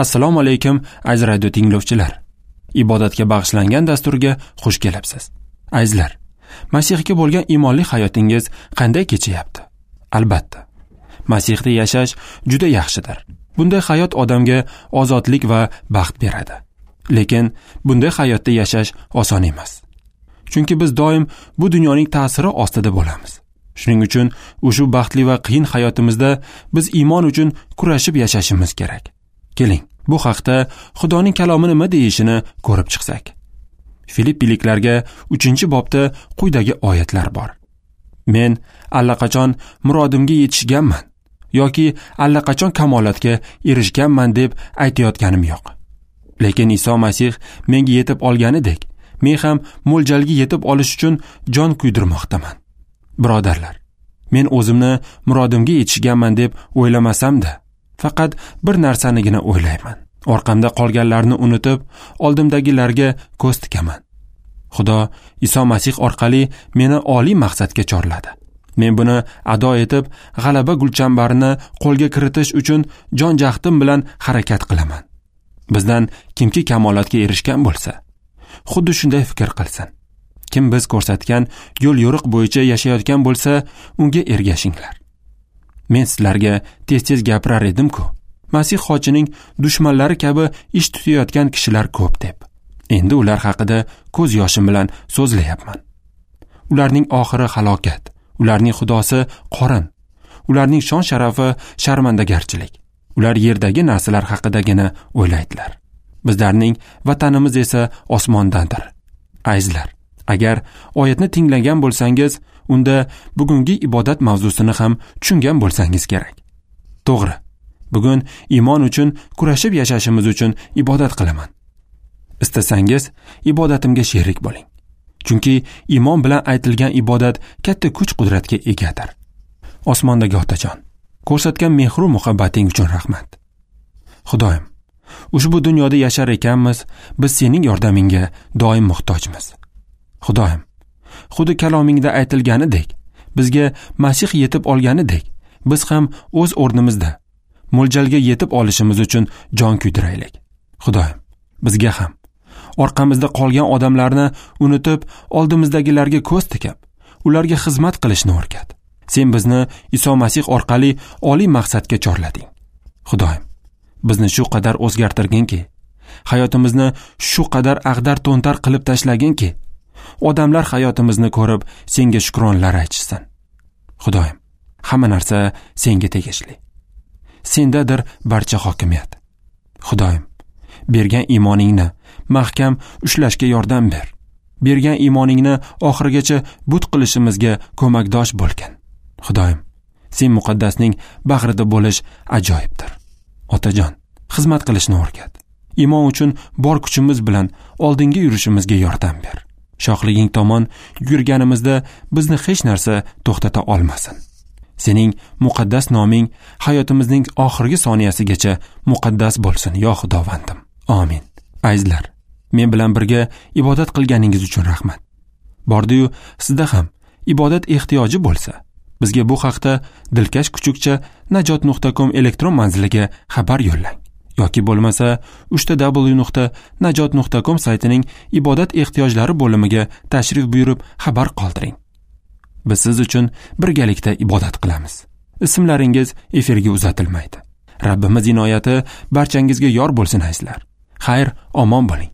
Assalomu alaykum, aziz radio tinglovchilar. Ibodatga bag'ishlangan dasturga xush kelibsiz. Azizlar, Masihga bo'lgan iymonli hayotingiz qanday kechyapti? Albatta, Masihda yashash juda yaxshidir. Bunday hayot odamga ozodlik va baxt beradi. Lekin bunday hayotda yashash oson emas. Chunki biz doim bu dunyoning ta'siri ostida bo'lamiz. Shuning uchun ushbu baxtli va qiyin hayotimizda biz iymon uchun kurashib yashashimiz kerak. Keling, bu haqda Xudoning kalomi nima deyishini ko'rib chiqsak. Filippiliklarga 3-bobda quyidagi oyatlar bor. Men allaqachon murodimga yetishganman yoki allaqachon kamolatga erishganman deb aytayotganim yo'q. Lekin Iso Masih menga yetib olganidek, men ham mo'ljalga yetib olish uchun jon kuydirmoqdaman. Birodarlar, men o'zimni murodimga yetishganman deb o'ylamasam-da, faqat bir narsanigina o'ylayman. Orqamda qolganlarni unutib, oldimdagilarga ko'z tikaman. Xudo Iso Masih orqali meni oliy maqsadga chorladi. Men buni ado etib, g'alaba gulchambarini qo'lga kiritish uchun jon jahdim bilan harakat qilaman. Bizdan kimki kamolatga erishgan bo'lsa, xuddi shunday fikr qilsin. Kim biz ko'rsatgan yo'l yo'riq bo'yicha yashayotgan bo'lsa, unga ergashinglar. Men sizlarga tez-tez gapirar edim-ku. Masih xochining dushmanlari kabi ish tutayotgan kishilar ko'p deb. Endi ular haqida ko'z yoshim bilan so'zlayapman. Ularning oxiri halokat, ularning xudosi qorin, ularning shon sharafi sharmandagarchilik. Ular yerdagi narsalar haqidagina o'ylaydilar. Bizlarning vatanimiz esa osmondandir. Azizlar, agar oyatni tinglagan bo'lsangiz, unda bugungi ibodat mavzusini ham tushungan bo'lsangiz kerak. To'g'ri, bugun iymon uchun kurashib yashashimiz uchun ibodat qilaman. Istasangiz, ibodatimga sherik bo'ling. Chunki iymon bilan aytilgan ibodat katta kuch-qudratga egadir. Osmondagi Otajon, ko'rsatgan mehru muhabbating uchun rahmat. Xudoyim, ushbu dunyoda yashar ekanmiz, biz sening yordamingga doim muhtojmiz. Xudoyim, xuddi kalomingda aytilganidek, bizga Masih yetib olganidek, biz ham o'z o'rnimizda mo'ljalga yetib olishimiz uchun jon kuydiraylik. Xudoyim, bizga ham orqamizda qolgan odamlarni unutib, oldimizdagilarga ko'z tikib, ularga xizmat qilishni o'rgat. Sen bizni Iso Masih orqali oliy maqsadga chorlading. Xudoyim, bizni shu qadar o'zgartirginki, hayotimizni shu qadar ag'dar-to'ntar qilib tashlaginki, odamlar hayotimizni ko'rib senga shukronlar aytishsin. Xudoyim, hamma narsa senga tegishli. Sendadir barcha hokimiyat. Xudoyim, bergan iymoningni mahkam ushlashga yordam ber. Bergan iymoningni oxirigacha but qilishimizga ko'makdosh bo'lgin. Xudoyim, sen muqaddasning bag'rida bo'lish ajoyibdir. Otajon, xizmat qilishni o'rgat. Iymon uchun bor kuchimiz bilan oldinga yurishimizga yordam ber. Shohliging tomon yurganimizda bizni hech narsa to'xtata olmasin. Sening muqaddas noming hayotimizning oxirgi soniyasigacha muqaddas bo'lsin, yo Xudovandim. Amin. Azizlar, men bilan birga ibodat qilganingiz uchun rahmat. Bordi-yu sizda ham ibodat ehtiyoji bo'lsa, bizga bu haqda dilkash kuchukcha najot.com elektron manziliga xabar yo'llang yoki bo'lmasa www.najot.com saytining ibodat ehtiyojlari bo'limiga tashrif buyurib xabar qoldiring. Biz siz uchun birgalikda ibodat qilamiz. Ismlaringiz efirga uzatilmaydi. Rabbimiz inoyati barchangizga yor bo'lsin, azizlar. Xayr, omon bo'ling.